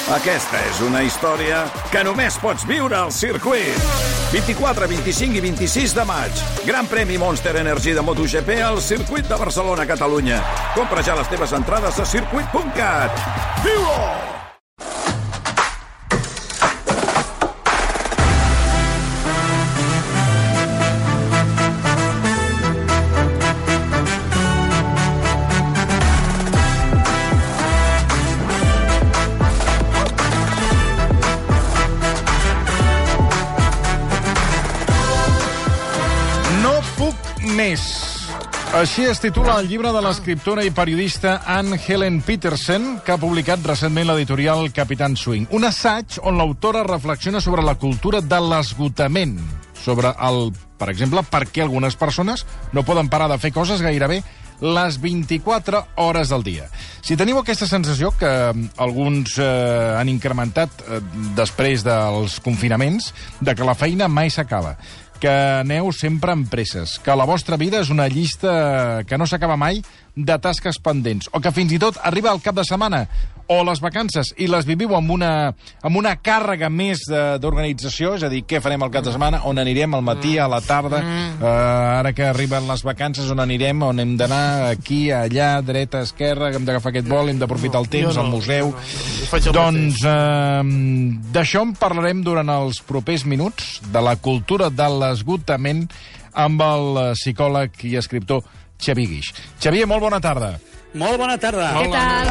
Aquesta és una història que només pots viure al circuit. 24, 25 i 26 de maig. Gran premi Monster Energy de MotoGP al circuit de Barcelona, Catalunya. Compra ja les teves entrades a circuit.cat. Viu-ho! Més. Així es titula el llibre de l'escriptora i periodista Anne Helen Petersen, que ha publicat recentment l'editorial Capitán Swing. Un assaig on l'autora reflexiona sobre la cultura de l'esgotament, sobre per exemple, per què algunes persones no poden parar de fer coses gairebé les 24 hores del dia. Si teniu aquesta sensació, que alguns han incrementat després dels confinaments, de que la feina mai s'acaba, que aneu sempre amb presses, que la vostra vida és una llista que no s'acaba mai de tasques pendents, o que fins i tot arriba el cap de setmana o les vacances i les viviu amb una càrrega més d'organització, és a dir, què farem el cap de setmana, on anirem al matí, a la tarda, ara que arriben les vacances, on anirem, on hem d'anar, aquí, allà, dreta, esquerra, hem d'agafar aquest vol, hem d'aprofitar el temps, al museu. Doncs d'això en parlarem durant els propers minuts, de la cultura de l'esgotament, amb el psicòleg i escriptor Xavier Guix. Xavier, molt bona tarda. Molt bona tarda. Què tal?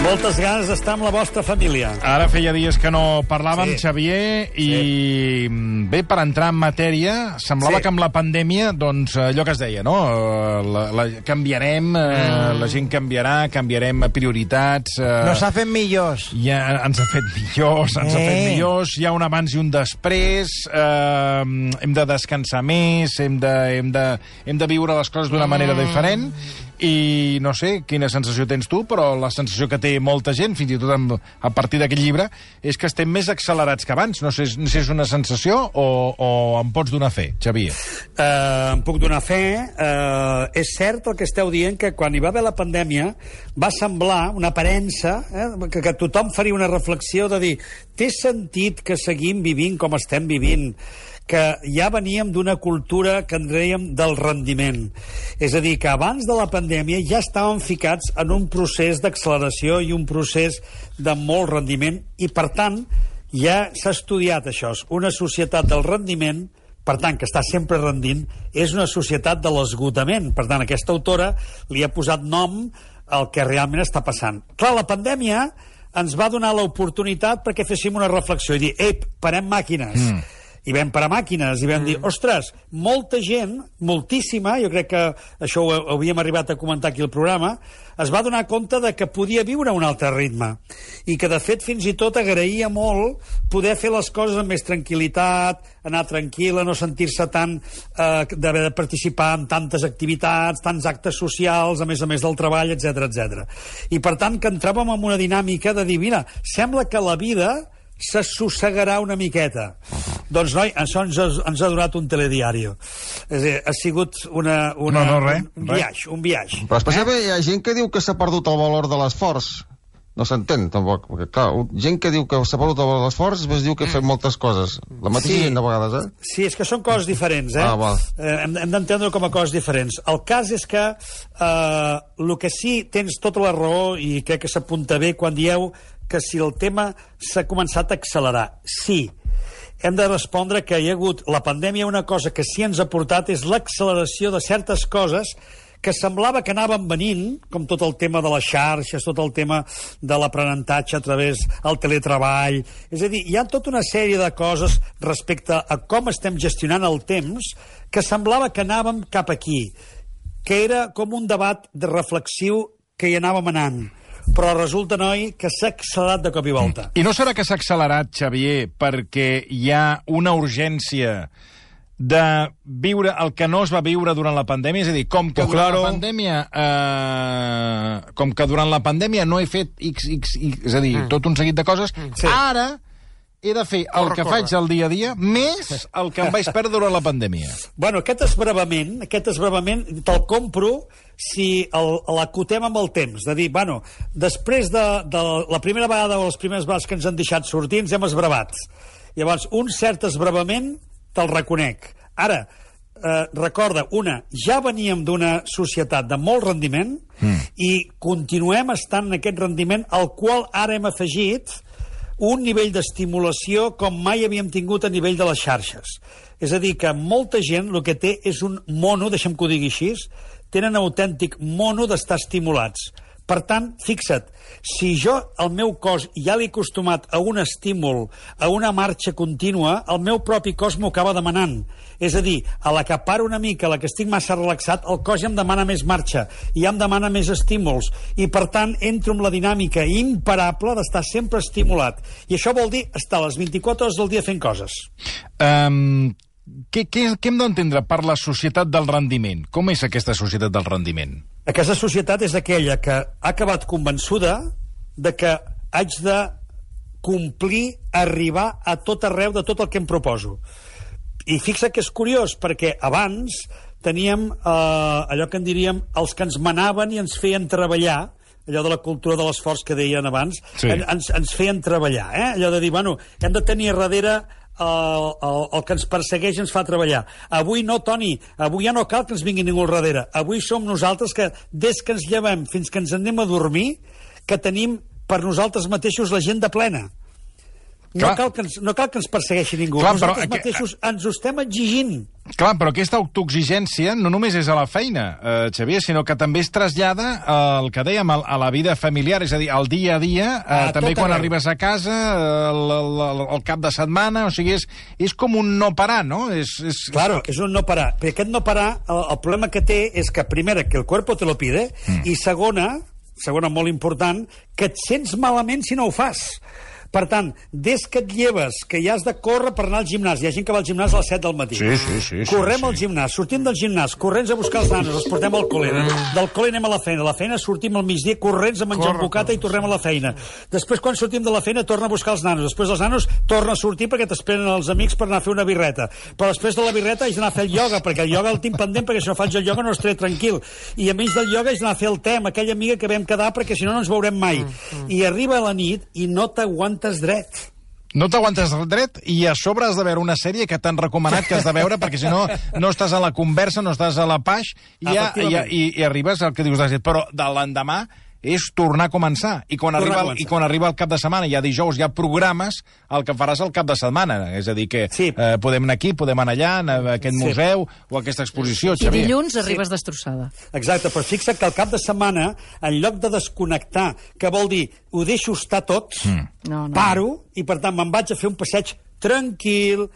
Moltes ganes d'estar amb la vostra família. Ara feia dies que no parlàvem, sí. Xavier, i bé, per entrar en matèria, semblava que amb la pandèmia, doncs, allò que es deia, no? Canviarem, la gent canviarem prioritats... No s'ha fet millors. Ja ens ha fet millors, hi ha un abans i un després, hem de descansar més, hem de viure les coses d'una manera diferent, i no sé quina sensació tens tu, però la sensació que té molta gent, fins i tot a partir d'aquest llibre, és que estem més accelerats que abans. No sé si és una sensació o em pots donar fe, Xavier. Em puc donar fe. És cert el que esteu dient, que quan hi va haver la pandèmia va semblar una aparença, que tothom faria una reflexió de dir, té sentit que seguim vivint com estem vivint, que ja veníem d'una cultura que en dèiem del rendiment. És a dir, que abans de la pandèmia ja estàvem ficats en un procés d'acceleració i un procés de molt rendiment, i per tant ja s'ha estudiat això. Una societat del rendiment, per tant, que està sempre rendint, és una societat de l'esgotament. Per tant, aquesta autora li ha posat nom al que realment està passant. Clar, la pandèmia ens va donar l'oportunitat perquè féssim una reflexió i dir, parem màquines. I vam parar màquines i vam dir, ostres, molta gent, moltíssima, jo crec que això ho havíem arribat a comentar aquí al programa, es va donar compte de que podia viure a un altre ritme i que, de fet, fins i tot agraïa molt poder fer les coses amb més tranquil·litat, anar tranquil·la, no sentir-se tant d'haver de participar en tantes activitats, tants actes socials, a més del treball, etc. I, per tant, que entràvem en una dinàmica de dir, mira, sembla que la vida s'assossegarà una miqueta. Doncs, noi, això ens ha donat un telediari. És a dir, ha sigut un viatge. Però després hi ha gent que diu que s'ha perdut el valor de l'esforç. No s'entén, tampoc. Perquè, clar, gent que diu que s'ha perdut el valor de l'esforç, després diu que ha fet moltes coses. La mateixa gent, de vegades, Sí, és que són coses diferents, hem d'entendre com a coses diferents. El cas és que el que sí tens tota la raó, i crec que s'apunta bé quan dieu que si el tema s'ha començat a accelerar. Sí, hem de respondre que hi ha hagut la pandèmia, una cosa que sí ens ha portat és l'acceleració de certes coses que semblava que anaven venint, com tot el tema de les xarxes, tot el tema de l'aprenentatge a través del teletreball. És a dir, hi ha tota una sèrie de coses respecte a com estem gestionant el temps que semblava que anàvem cap aquí, que era com un debat de reflexiu que hi anàvem anant. Però resulta, noi, que s'ha accelerat de cop i volta. I no serà que s'ha accelerat, Xavier, perquè hi ha una urgència de viure el que no es va viure durant la pandèmia? És a dir, com que durant la pandèmia no he fet és a dir, tot un seguit de coses, ara he de fer el que faig al dia a dia més el que em vaig perdre durant la pandèmia. Bueno, aquest esbravament te'l compro si l'acotem amb el temps. De dir, bueno, després de la primera vegada o les primeres vegades que ens han deixat sortir, ens hem esbravat. Llavors, un cert esbravament te'l reconec. Ara, recorda, ja veníem d'una societat de molt rendiment i continuem estant en aquest rendiment al qual ara hem afegit un nivell d'estimulació com mai havíem tingut a nivell de les xarxes. És a dir, que molta gent el que té és un mono, deixa'm que ho digui així, tenen autèntic mono d'estar estimulats. Per tant, fixa't, si jo, el meu cos, ja l'he acostumat a un estímul, a una marxa contínua, el meu propi cos m'ho acaba demanant. És a dir, a la que paro una mica, a la que estic massa relaxat, el cos ja em demana més marxa, ja em demana més estímuls, i per tant entro en la dinàmica imparable d'estar sempre estimulat. I això vol dir estar les 24 hores del dia fent coses. Què hem d'entendre per la societat del rendiment? Com és aquesta societat del rendiment? Aquesta societat és aquella que ha acabat convençuda de que haig de complir, arribar a tot arreu de tot el que em proposo. I fixa que és curiós, perquè abans teníem allò que en diríem els que ens manaven i ens feien treballar, allò de la cultura de l'esforç que deien abans, sí. ens feien treballar, allò de dir, bueno, hem de tenir darrere el que ens persegueix ens fa treballar. Avui no, Toni, avui ja no cal que ens vingui ningú al darrere. Avui som nosaltres que, des que ens llevem fins que ens anem a dormir, que tenim per nosaltres mateixos l'agenda plena. No cal que ens persegueixi ningú. Clar, nosaltres mateixos ens ho estem exigint. Clar, però aquesta autoexigència no només és a la feina, Xavier, sinó que també es trasllada al que dèiem, a la vida familiar, és a dir, al dia a dia, també quan arribes a casa, el cap de setmana, o sigui, és com un no parar, no? Claro, és un no parar. Perquè aquest no parar, el problema que té és que, primera, que el cuerpo te lo pide, i segona molt important, que et sents malament si no ho fas. Per tant, des que et lleves, que ja has de córrer per anar al gimnàs, hi ha gent que va al gimnàs a les 7 del matí. Sí. Correm al gimnàs, sortim del gimnàs, corrents a buscar els nanos, els portem al col·le, del col·le anem a la feina sortim al migdia, corrents a menjar un bocata i tornem a la feina. Després, quan sortim de la feina, torna a buscar els nanos. Després dels nanos, torna a sortir perquè t'esperen els amics per anar a fer una birreta. Però després de la birreta haig d'anar a fer el ioga, perquè el ioga el tinc pendent, perquè si no faig el ioga no estaré tranquil. I a menys del ioga haig d'anar a fer el te amb aquella amiga que vam quedar, perquè si no, no ens veurem mai. I arriba la nit i no t'aguantes dret. No t'aguantes dret i a sobre has de veure una sèrie que t'han recomanat que has de veure perquè si no, no estàs a la conversa, no estàs a la paix i arribes al que dius de però de l'endemà és tornar a començar. I quan arriba el cap de setmana, ja dijous, ja programes el que faràs el cap de setmana. És a dir, que podem anar aquí, podem anar allà, a aquest museu o a aquesta exposició, Xavier. I dilluns arribes destrossada. Exacte, però fixa't que el cap de setmana, en lloc de desconnectar, que vol dir, ho deixo estar tot, paro, i per tant me'n vaig a fer un passeig tranquil,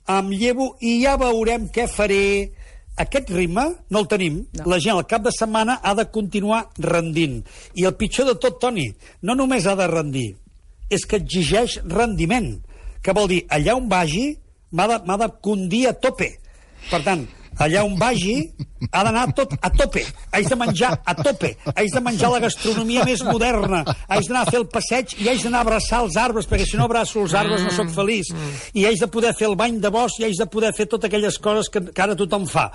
em llevo i ja veurem què faré. Aquest ritme no el tenim. No. La gent al cap de setmana ha de continuar rendint. I el pitjor de tot, Toni, no només ha de rendir, és que exigeix rendiment. Que vol dir, allà on vagi, m'ha de condir a tope. Per tant, allà on vagi, ha d'anar tot a tope. Haig de menjar a tope. Haig de menjar la gastronomia més moderna. Haig d'anar a fer el passeig i haig d'anar a abraçar els arbres, perquè si no abraço els arbres no sóc feliç. I haig de poder fer el bany de bosc i haig de poder fer totes aquelles coses que ara tothom fa.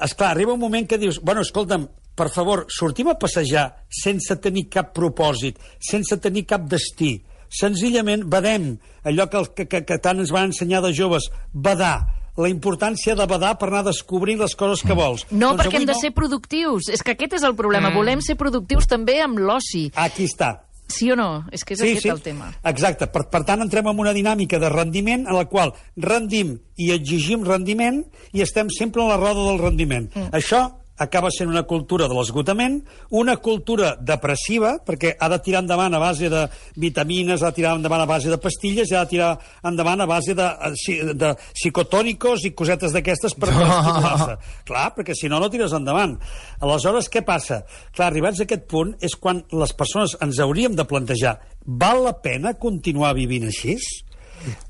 Esclar, arriba un moment que dius, bueno, escolta'm, per favor, sortim a passejar sense tenir cap propòsit, sense tenir cap destí. Senzillament badem allò que tant ens van ensenyar de joves, badar. La importància de badar per anar descobrint les coses que vols. No, doncs perquè hem de ser productius. És que aquest és el problema. Volem ser productius també amb l'oci. Aquí està. Sí o no? És que és aquest el tema. Exacte. Per tant, entrem en una dinàmica de rendiment en la qual rendim i exigim rendiment i estem sempre en la roda del rendiment. Això acaba sent una cultura de l'esgotament, una cultura depressiva, perquè ha de tirar endavant a base de vitamines, ha de tirar endavant a base de pastilles, i ha de tirar endavant a base de psicotònicos i cosetes d'aquestes per estimular-se. Clar, perquè si no, no tires endavant. Aleshores, què passa? Clar, arribats a aquest punt és quan les persones ens hauríem de plantejar, val la pena continuar vivint així?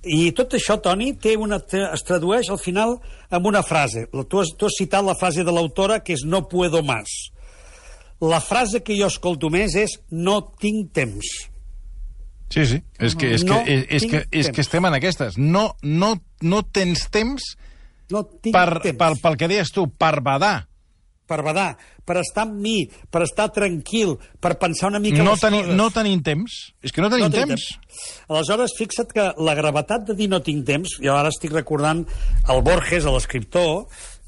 I tot això, Toni, es tradueix al final amb una frase. Tu has citat la frase de l'autora, que és no puedo más. La frase que jo escolto més és no tinc temps. Sí, sí. És que estem en aquestes. No tens temps pel que deies tu, per badar. Per badar, per estar amb mi, per estar tranquil, per pensar una mica les coses. No tenim temps. És que no tenim temps. Aleshores, fixa't que la gravetat de dir no tinc temps, jo ara estic recordant el Borges, l'escriptor,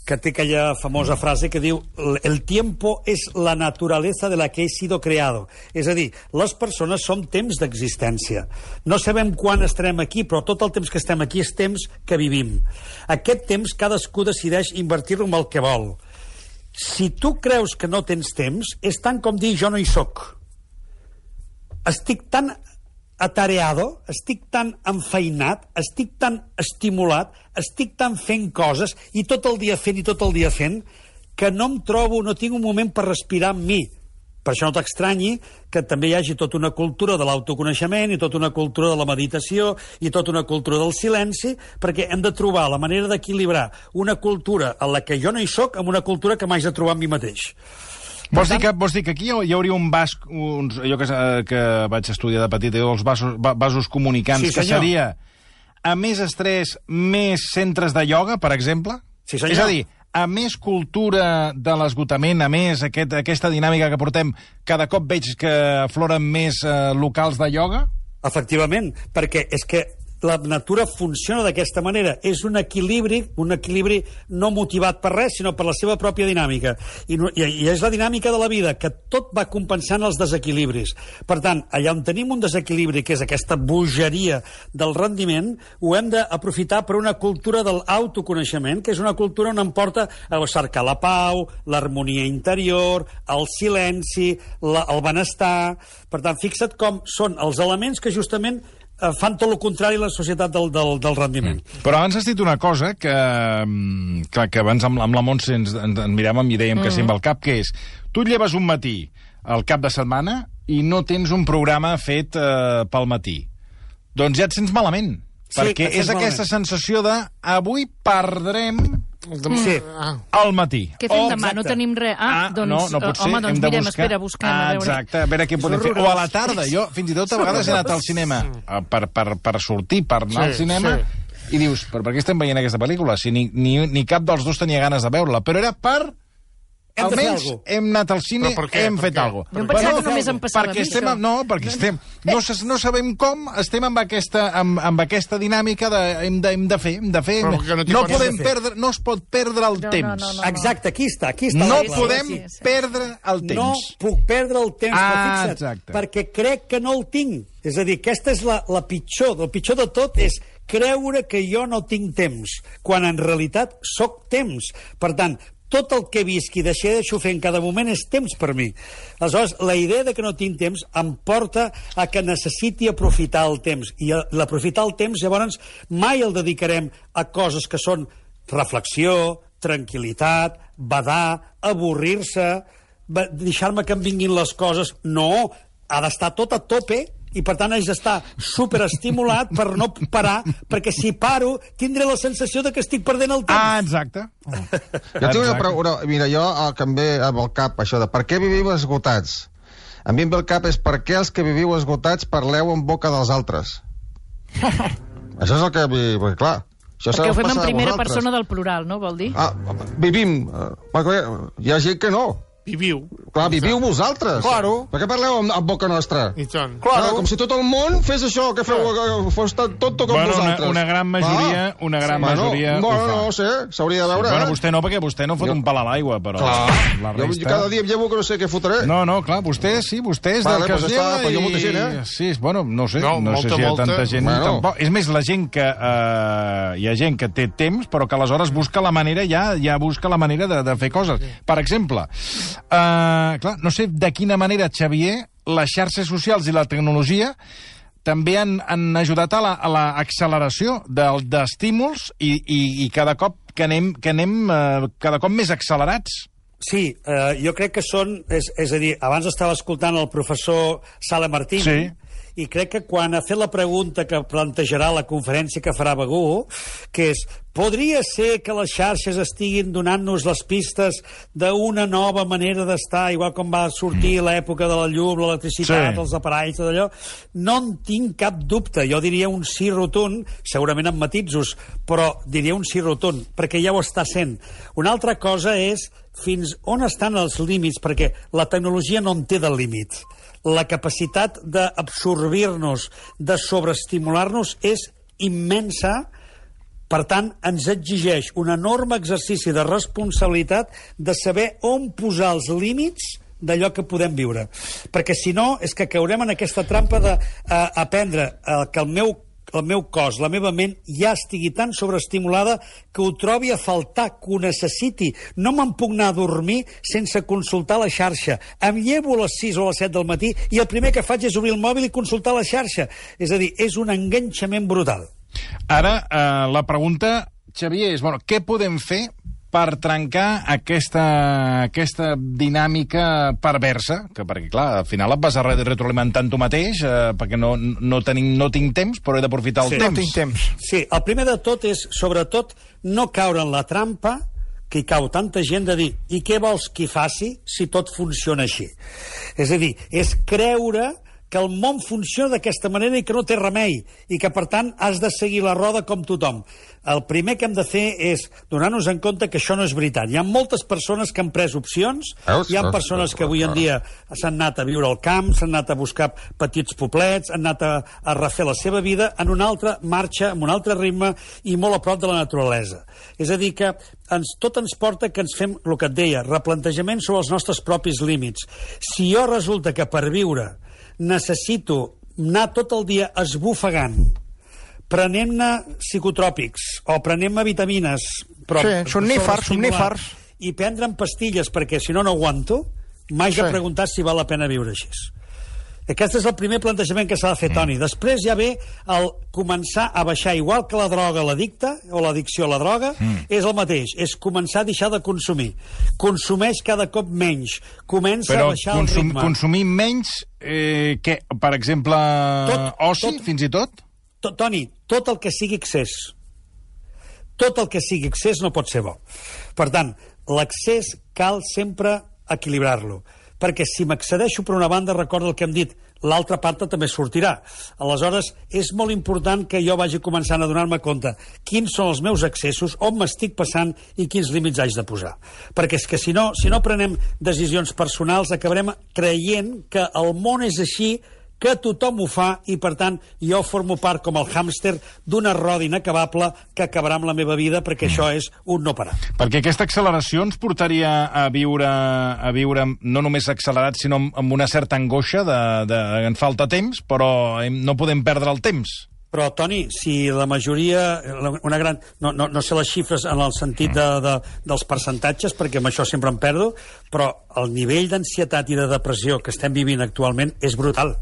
que té aquella famosa frase que diu el tiempo es la naturaleza de la que he sido creado. És a dir, les persones som temps d'existència. No sabem quan estarem aquí, però tot el temps que estem aquí és temps que vivim. Aquest temps cadascú decideix invertir-lo amb el que vol. Si tu creus que no tens temps, és tant com dir jo no hi soc. Estic tan atareado, estic tan enfeinat, estic tan estimulat, estic tan fent coses, i tot el dia fent, que no em trobo, no tinc un moment per respirar amb mi. Per això no t'estranyi que també hi hagi tota una cultura de l'autoconeixement i tota una cultura de la meditació i tota una cultura del silenci, perquè hem de trobar la manera d'equilibrar una cultura en la que jo no hi soc amb una cultura que m'haig de trobar amb mi mateix. Vols dir que aquí hi hauria un vas... allò que vaig estudiar de petit, els vasos comunicants, que seria a més estrès, més centres de ioga, per exemple? Sí, senyor. És a dir, a més cultura de l'esgotament, a més aquesta dinàmica que portem, cada cop veig que afloren més locals de ioga? Efectivament, perquè és que la natura funciona d'aquesta manera. És un equilibri no motivat per res, sinó per la seva pròpia dinàmica. I és la dinàmica de la vida, que tot va compensant els desequilibris. Per tant, allà on tenim un desequilibri, que és aquesta bogeria del rendiment, ho hem d'aprofitar per una cultura de l'autoconeixement, que és una cultura on em porta a cercar la pau, l'harmonia interior, el silenci, el benestar. Per tant, fixa't com són els elements que justament fan tot el contrari a la societat del rendiment. Però abans has dit una cosa que abans amb la Montse ens miràvem i dèiem que sempre al cap, que és, tu et lleves un matí al cap de setmana i no tens un programa fet pel matí. Doncs ja et sents malament, perquè és aquesta sensació de avui perdrem al matí. Què fem demà? No tenim res. No pot ser. Home, doncs mirem, espera, busquem. Exacte, a veure què podem fer. O a la tarda. Jo fins i tot a vegades he anat al cinema per sortir, per anar al cinema, i dius, però per què estem veient aquesta pel·lícula? Si ni cap dels dos tenia ganes de veure-la. Però era per... Almenys hem anat al cine, hem fet alguna cosa. Jo em pensava que només em passava a mi, això. No, perquè estem... No sabem com, estem amb aquesta dinàmica de hem de fer. No es pot perdre el temps. Exacte, aquí està. No podem perdre el temps. No puc perdre el temps, però fixa't, perquè crec que no el tinc. És a dir, aquesta és la pitjor. El pitjor de tot és creure que jo no tinc temps, quan en realitat sóc temps. Per tant, tot el que visc i deixo fer en cada moment és temps per mi. Aleshores, la idea de que no tinc temps em porta a que necessiti aprofitar el temps. I l'aprofitar el temps, llavors, mai el dedicarem a coses que són reflexió, tranquil·litat, badar, avorrir-se, deixar-me que em vinguin les coses. No, ha d'estar tot a tope, i per tant haig d'estar superestimulat per no parar, perquè si paro tindré la sensació de que estic perdent el temps. Exacte. Jo tinc una pregunta. Mira, jo que em ve amb el cap això de per què viviu esgotats. A mi em ve el cap és per què els que viviu esgotats parleu en boca dels altres. Això és el que... Perquè, clar, perquè ho fem en primera persona del plural, no? Vol dir? Vivim. Hi ha gent que no. Viviu. Clar, viviu vosaltres. Claro. Per què parleu amb boca nostra? I tant. Claro. Com si tot el món fes això, que feu, fos tot com vosaltres. Una gran majoria ho fa. No sé, s'hauria de veure. Bueno, vostè no, perquè vostè no fot un pal a l'aigua, però la resta... Jo cada dia em llevo que no sé què fotré. No, clar, vostè és del que es lleva i... Hi ha molta gent, Sí, bueno, no sé si hi ha tanta gent. És més, la gent que... Hi ha gent que té temps, però que aleshores busca la manera, ja busca la manera de fer coses. Per exemple... clar, no sé de quina manera, Xavier, les xarxes socials i la tecnologia també han ajudat a l'acceleració d'estímuls i cada cop que anem cada cop més accelerats. Sí, jo crec que són... És a dir, abans estava escoltant el professor Sala Martín, i crec que quan ha fet la pregunta que plantejarà la conferència que farà Begur, que és, podria ser que les xarxes estiguin donant-nos les pistes d'una nova manera d'estar, igual com va sortir l'època de la llum, l'electricitat, els aparells, tot allò, no en tinc cap dubte. Jo diria un sí rotund, segurament amb matisos, però diria un sí rotund, perquè ja ho està sent. Una altra cosa és fins on estan els límits, perquè la tecnologia no en té de límits. La capacitat d'absorbir-nos, de sobreestimular-nos és immensa. Per tant, ens exigeix un enorme exercici de responsabilitat de saber on posar els límits d'allò que podem viure. Perquè si no, és que caurem en aquesta trampa d'aprendre que el meu cos, la meva ment, ja estigui tan sobreestimulada que ho trobi a faltar, que ho necessiti. No me'n puc anar a dormir sense consultar la xarxa. Em llevo a les 6 o a les 7 del matí i el primer que faig és obrir el mòbil i consultar la xarxa. És a dir, és un enganxament brutal. Ara, la pregunta, Xavier, és, què podem fer per trencar aquesta dinàmica perversa? Perquè, clar, al final et vas a retroalimentant tu mateix, perquè no tinc temps, però he d'aprofitar el temps. No tinc temps. Sí, el primer de tot és, sobretot, no caure en la trampa que hi cau tanta gent de dir i què vols que hi faci si tot funciona així? És a dir, és creure que el món funciona d'aquesta manera i que no té remei, i que, per tant, has de seguir la roda com tothom. El primer que hem de fer és donar-nos en compte que això no és veritat. Hi ha moltes persones que han pres opcions, hi ha persones que avui en dia s'han anat a viure al camp, s'han anat a buscar petits poblets, han anat a refer la seva vida en una altra marxa, amb un altre ritme i molt a prop de la naturalesa. És a dir, que tot ens porta que ens fem, el que et deia, replantejament sobre els nostres propis límits. Si jo resulta que per viure necessito anar tot el dia esbufegant, prenent-ne psicotròpics o prenent-me vitamines, però somnífers, i prendre'm pastilles perquè si no aguanto, m'haig de preguntar si val la pena viure així. Aquest és el primer plantejament que s'ha de fer, Toni. Després ja ve el començar a baixar, igual que la droga l'addicte, o l'addicció a la droga, és el mateix, és començar a deixar de consumir. Consumeix cada cop menys, comença a baixar el ritme. Però consumir menys, què? Per exemple, oci, fins i tot? Toni, tot el que sigui excés. Tot el que sigui excés no pot ser bo. Per tant, l'excés cal sempre equilibrar-lo. Perquè si m'accedeixo per una banda, recorda el que hem dit, l'altra part també sortirà. Aleshores, és molt important que jo vagi començant a donar-me compte quins són els meus excessos, on m'estic passant i quins límits haig de posar. Perquè és que si no prenem decisions personals, acabarem creient que el món és així, que tothom ho fa i, per tant, jo formo part com el hàmster d'una roda inacabable que acabarà amb la meva vida, perquè això és un no parar. Perquè aquesta acceleració ens portaria a viure no només accelerat, sinó amb una certa angoixa en falta temps, però no podem perdre el temps. Però, Toni, si la majoria, una gran... No sé les xifres en el sentit dels percentatges, perquè amb això sempre em perdo, però el nivell d'ansietat i de depressió que estem vivint actualment és brutal.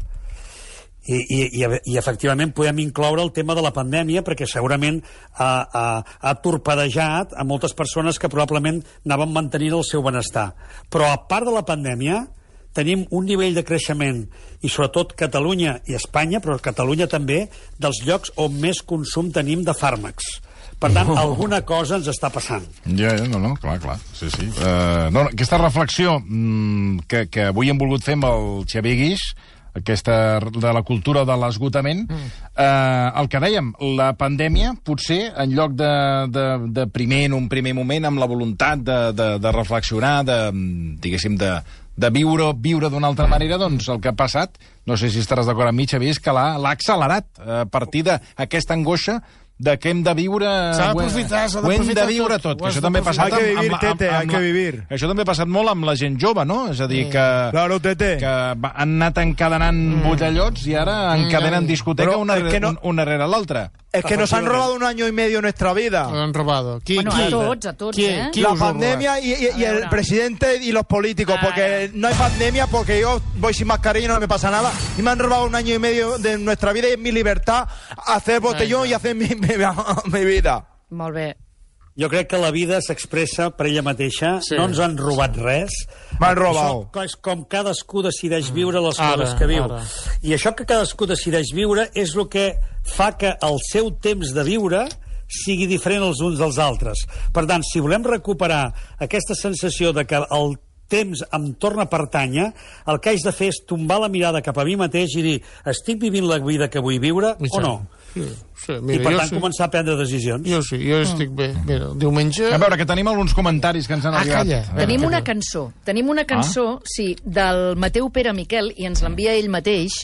I efectivament podem incloure el tema de la pandèmia, perquè segurament ha torpedejat a moltes persones que probablement anaven mantenint el seu benestar. Però a part de la pandèmia tenim un nivell de creixement, i sobretot Catalunya i Espanya, però Catalunya també, dels llocs on més consum tenim de fàrmacs. Per tant, alguna cosa ens està passant. Ja, clar. Sí. Aquesta reflexió que avui hem volgut fer amb el Xavier Guix, aquesta de la cultura de l'esgotament, el que dèiem, la pandèmia, potser, en lloc de en un primer moment, amb la voluntat de reflexionar, diguéssim, de viure d'una altra manera, doncs el que ha passat, no sé si estaràs d'acord amb mi, Xavier, és que l'ha accelerat a partir d'aquesta angoixa de que hem de viure... S'ha d'aprofitar tot. Que això també ha passat això també ha passat molt amb la gent jove, no? És a dir, que han anat encadenant botellots i ara encadenen discoteca una rere l'altra. Es que nos han robado 1 año y medio nuestra vida. Nos han robado. A tots, La pandemia y el presidente y los políticos, porque no hay pandemia, porque yo voy sin mascarilla y no me pasa nada. Y me han robado 1 año y medio de nuestra vida y es mi libertad hacer botellón y hacer mi vida. Molt bé. Jo crec que la vida s'expressa per ella mateixa, no ens han robat res. M'han robat. És com cadascú decideix viure les coses que viu. I això que cadascú decideix viure és el que fa que el seu temps de viure sigui diferent els uns dels altres. Per tant, si volem recuperar aquesta sensació de que el temps em torna a pertànyer, el que haig de fer és tombar la mirada cap a mi mateix i dir, estic vivint la vida que vull viure o no? Sí, mira, i per tant començar a prendre decisions. Jo estic bé. Mira, diumenge... A veure, que tenim alguns comentaris que ens han arribat. Calla. Tenim una cançó, sí, del Mateu Pere Miquel, i ens l'envia ell mateix,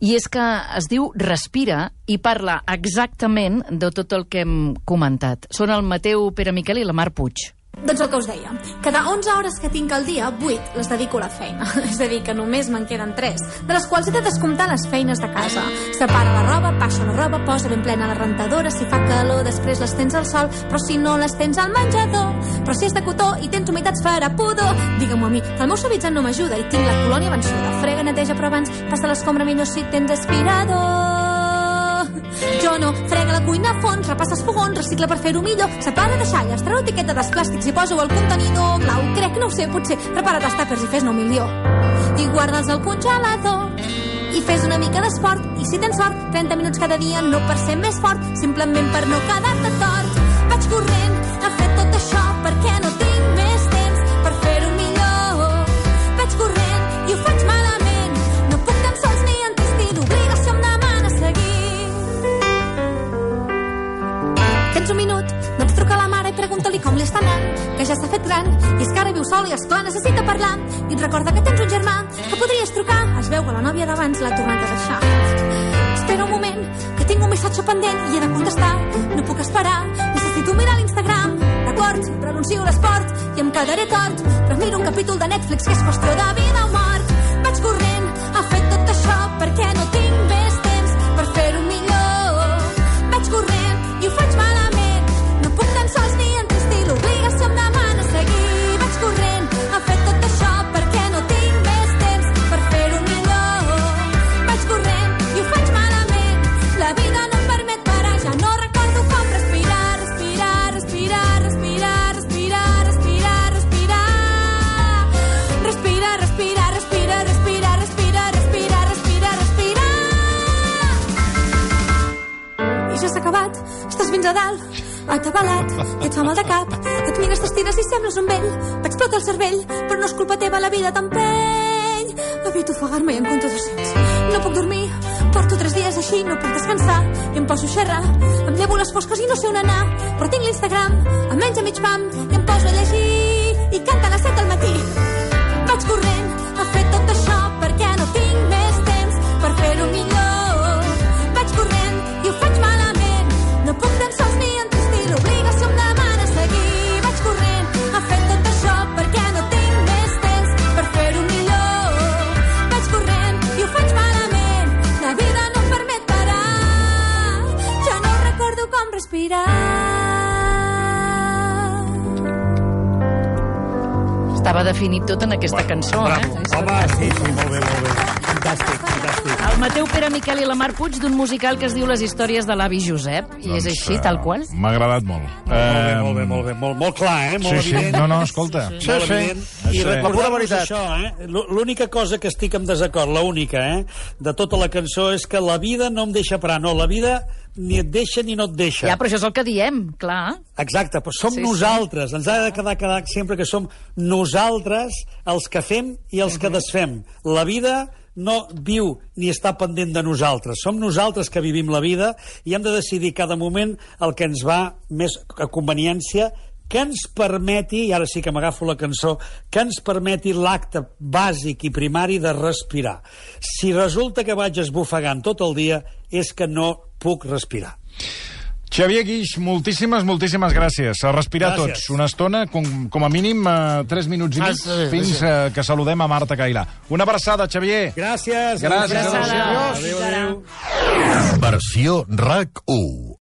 i és que es diu Respira, i parla exactament de tot el que hem comentat. Són el Mateu Pere Miquel i la Mar Puig. Doncs el que us deia, cada 11 hores que tinc al dia, 8 les dedico a la feina. És a dir, que només me'n queden 3, de les quals he de descomptar les feines de casa. Separa la roba, passa la roba, posa ben plena la rentadora, si fa calor després les tens al sol, però si no les tens al menjador. Però si és de cotó i tens humitats farà pudor. Digue-m'ho a mi, que el meu suavitzant no m'ajuda i tinc la colònia vençuda. Frega, neteja, però abans passa l'escombra millor si tens aspirador. Jo no, frega la cuina a fons, repassa els fogons, recicla per fer-ho millor, separa deixalles, treu l'etiqueta dels plàstics i posa-ho al contenidor clau. Crec, no ho sé, potser prepara't els tàpers i fes-ne 1 milió. I guarda'ls al congelador i fes una mica d'esport. I si tens sort, 30 minuts cada dia, no per ser més fort, simplement per no quedar-te tort. Vaig corrent a fer tot això perquè no tinc més temps per fer-ho millor. Vaig corrent i ho faig malament, no puc tan sols ni entrist i l'obligació em demana seguir. Tens 1 minut, doncs truca a la mare i pregunta-li com li està anant, que ja s'ha fet gran, i és que ara viu sol i esclar necessita parlar. I et recorda que tens un germà, que podries trucar, es veu que la nòvia d'abans l'ha tornat a deixar. Espera un moment, que tinc un missatge pendent i he de contestar, no puc esperar, necessito mirar l'Instagram. D'acord, renuncio a l'esport i em quedaré tort, però miro un capítol de Netflix que és qüestió de vida o mort. Vaig corrent a fer tot això perquè no tinc més temps per fer-ho millor. Vaig corrent i ho faig malament, no puc tan sols ni entristir, l'obligació em demana seguir. Vaig corrent a fer tot això perquè no tinc més temps per fer-ho millor. Vaig corrent i ho faig malament, la vida no em permet parar, ja no recordo com respirar, respirar, respirar, respirar, respirar, respirar, respirar, respirar, respirar, respirar, respirar, respirar, respirar, respirar, respirar. I ja s'ha acabat, estàs fins a dalt, atabalat, i et fa mal de cap, et mires, t'estires i sembles un vell, t'explota el cervell, però no és culpa teva, la vida t'empeny. Evito ofegar-me i en compto 200. No puc dormir, porto 3 dies així, no puc descansar, i em poso a xerrar, em llevo les fosques i no sé on anar, però tinc l'Instagram, em menja mig pam, i em poso a llegir, i canta a les 7 del matí. Vaig corrent a fer tot això perquè no tinc més temps per fer-ho millor. Vaig corrent i ho faig malament, no puc tan sols ni entristir, l'obligació em demana seguir. Vaig corrent a fer tot això perquè no tinc més temps per fer-ho millor. Vaig corrent i ho faig malament, la vida no em permet parar, ja no recordo com respirar. Estava definit tot en aquesta cançó, Bravo. Home, sí, molt bé, molt bé. Fantàstic, fantàstic. El Mateu Pere Miquel i la Mar Puig d'un musical que es diu Les històries de l'avi Josep, i és així, tal qual. M'ha agradat molt. Molt bé. Molt clar, molt evident. No, escolta. Molt evident. I recordar-vos això, l'única cosa que estic en desacord, l'única, de tota la cançó, és que la vida no em deixa parar. No, la vida ni et deixa ni no et deixa. Ja, però això és el que diem, clar. Exacte, però som nosaltres. Ens ha de quedar sempre que som nosaltres els que fem i els que desfem. La vida no viu ni està pendent de nosaltres. Som nosaltres que vivim la vida i hem de decidir cada moment el que ens va més a conveniència, que ens permeti, i ara sí que m'agafo la cançó, que ens permeti l'acte bàsic i primari de respirar. Si resulta que vaig esbufegant tot el dia, és que no puc respirar. Xavier Guix, moltíssimes gràcies. A respirar tots una estona, com a mínim 3 minuts i mig, fins que saludem a Marta Cailà. Una abraçada, Xavier. Gràcies. Gràcies. Adéu. Versió RAC 1.